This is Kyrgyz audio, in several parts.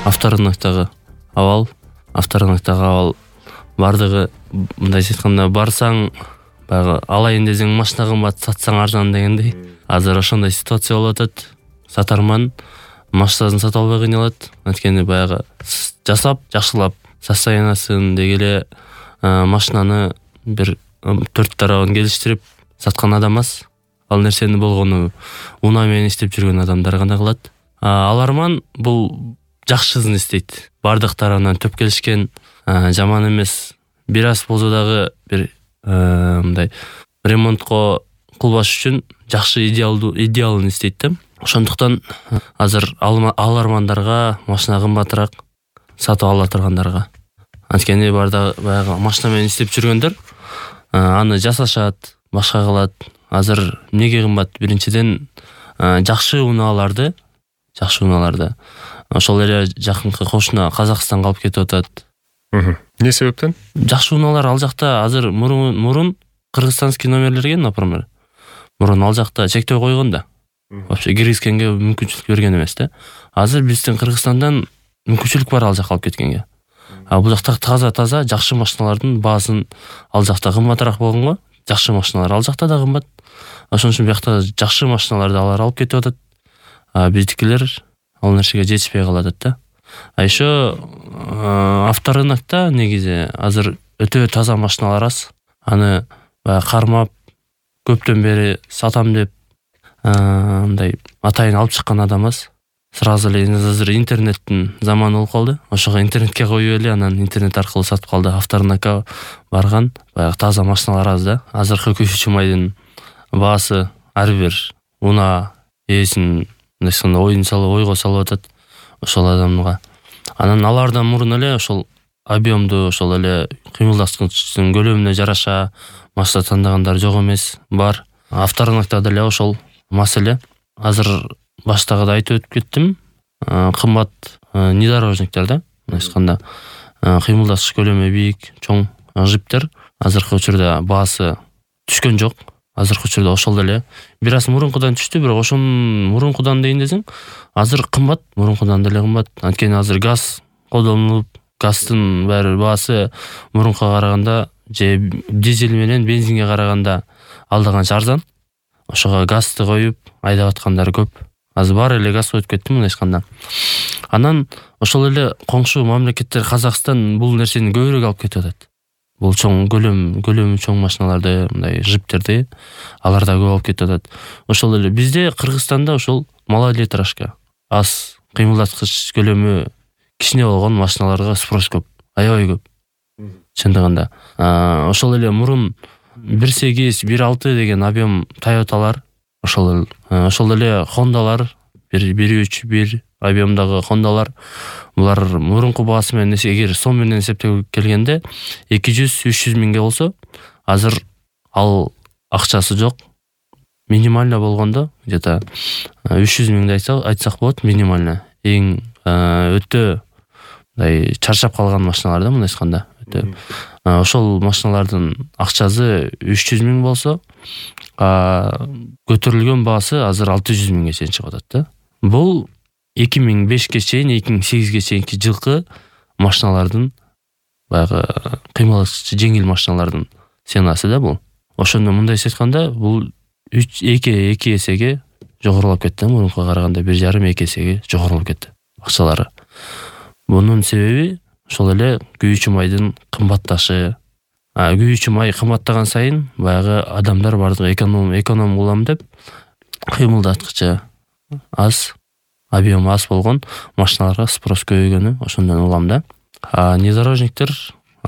Авторынактагы абал бардыгы мындайча айтканда барсаң баягы алайын десең машина кымбат, сатсаң арзан дегендей. Азыр ошондой ситуация болуп атат. Сатарман машинасын сата албай кыйналат. Анткени баягы жасап, жакшылап состояниясын деги эле машинаны бир 4 тарабын келиштирип саткан адам аз. Ал нерсени болгону унаа менен иштеп жүргөн адамдар гана кылат. Аларман бул жакшысын истейт. Бардык тарабынан төп келишкен, жаман эмес. Бир аз болсо дагы бир мындай ремонтко кылбаш үчүн жакшы идеалын истейт да. Ошондуктан азыр алармандарга машина кымбатыраак сатып ала тургандарга. Анткени баягы машина менен иштеп жүргөндөр аны жасашат, башка кылат. Азыр эмнеге кымбат? Биринчиден жакшы унааларды ошол эле жакынкы кошуна Казакстанга алып кетип атат. Эмне себептен? Жакшы унаалар ал жакта азыр мурун кыргызстанский номерлерге, например, мурун ал жакта чектөө койгон да. Вообще киргизгенге мүмкүнчүлүк берген эмес да. Азыр биздин Кыргызстандан мүмкүнчүлүк бар ал жака алып кеткенге. Бул жакта таза жакшы машиналардын баасын ал жакта кымбатыраак болгонго, жакшы машиналар ал жакта да кымбат. Ошон үчүн биякта жакшы машиналарды алар алып кетип атат. Биздикилер ал нерсеге жетишпей калат да. Еще авторынакта негизи азыр өтө таза машиналар аз. Аны кармап көптөн бери сатам деп мындай атайын алып чыккан адам аз. Сразу эле азыр интернеттин заманы болуп калды. Ошого интернетке коюп эле анан интернет аркылуу сатып калды. Авторынакка барган баягы таза машиналар аз да. Азыркы күйүүчү майдын баасы ар бир унаа ээсин ойго салып атат ошол адамга. Анан алардан мурун эле ошол объемду, ошол эле кыймылдаткычтын көлөмүнө жараша машина тандагандар жок эмес, бар. Авторынакта деле ошол маселе. Азыр баштагыда айтып өтүп кеттим. Кымбат внедорожниктер да, айтканда кыймылдаткыч көлөмү бийик, чоң жиптер азыркы учурда баасы түшкөн жок. Азыркы учурда ошол эле бир аз мурункудан түштү, бирок ошон мурункудан дейин десең, азыр кымбат, мурункудан деле кымбат. Анткени азыр газ колдонулуп, газдын баары баасы мурункуга караганда же дизель менен бензинге караганда алда канча арзан. Ошого газды коюп айдап аткандар көп. Азыр баары эле газ коюп кетти мындай айтканда. Анан ошол эле коңшу мамлекеттер Казакстан бул нерсени көбүрөөк алып кетип атат. Бул чоң көлөмү чоң машиналарды, мындай жиптерди аларда көп алып кетип атат. Ошол эле бизде Кыргызстанда ошол малолитражка аз кыймылдаткыч көлөмү кичине болгон машиналарга спрос көп, аябай көп. Чындыгында ошол эле мурун 1.8, 1.6 деген объем Toyotалар, ошол эле Hondалар, 1.3, 1 объемдагы Hondалар, булар мурунку баасы менен эгер сом менен эсептеп келгенде 200-300 миңге болсо, азыр ал акчасы жок. Минимально болгондо где-то 300 миңди айтсак болот, минимально. Эң өтө мындай чарчап калган машиналар да, мындай айтканда. Ошол машиналардын акчасы 300 миң болсо, көтөрүлгөн баасы азыр 600 миңге чейин чыгып атат да. Бул 2005-ке чейин, 2008-ге чейинки жылкы машиналардын баягы кыймылдаткычы жеңил машиналардын ценасы да бул. Ошондо мындай айтканда, бул 2 эсеге жогорулап кетти, мурункуга караганда 1,5-2 эсеге жогорулап кетти акчалары. Бунун себеби ошол эле күйүүчү майдын кымбатташы. Күйүүчү май кымбаттаган сайын баягы адамдар бардыгы эконом кылам деп кыймылдаткычы аз, объем аз болгон машиналарга спрос көбөйгөнү ошондон улам да. Внедорожниктер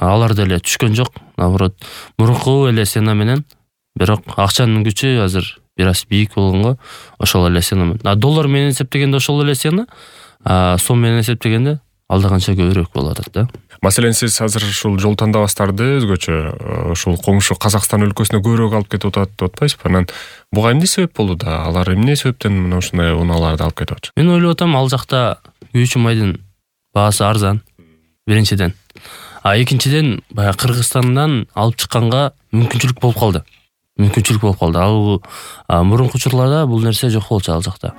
алар деле түшкөн жок, наоборот, мурунку эле цена менен, бирок акчанын күчү азыр бир аз бийик болгонго ошол эле цена менен. Доллар менен эсептегенде ошол эле цена, сом менен эсептегенде алда канча көбүрөөк болуп атат да. Маселен сиз азыр ушул жол тандабастарды өзгөчө ушул коңшу Казакстан өлкөсүнө көбүрөөк алып кетип атат деп атпайсызбы? Анан буга эмне себеп болду да? Алар эмне себептен мына ушундай унааларды алып кетип атат? Мен ойлоп атам, ал жакта күйүүчү майдын баасы арзан, биринчиден. Экинчиден, баягы Кыргызстандан алып чыкканга мүмкүнчүлүк болуп калды. Ал мурунку учурларда бул нерсе жок болчу ал жакта.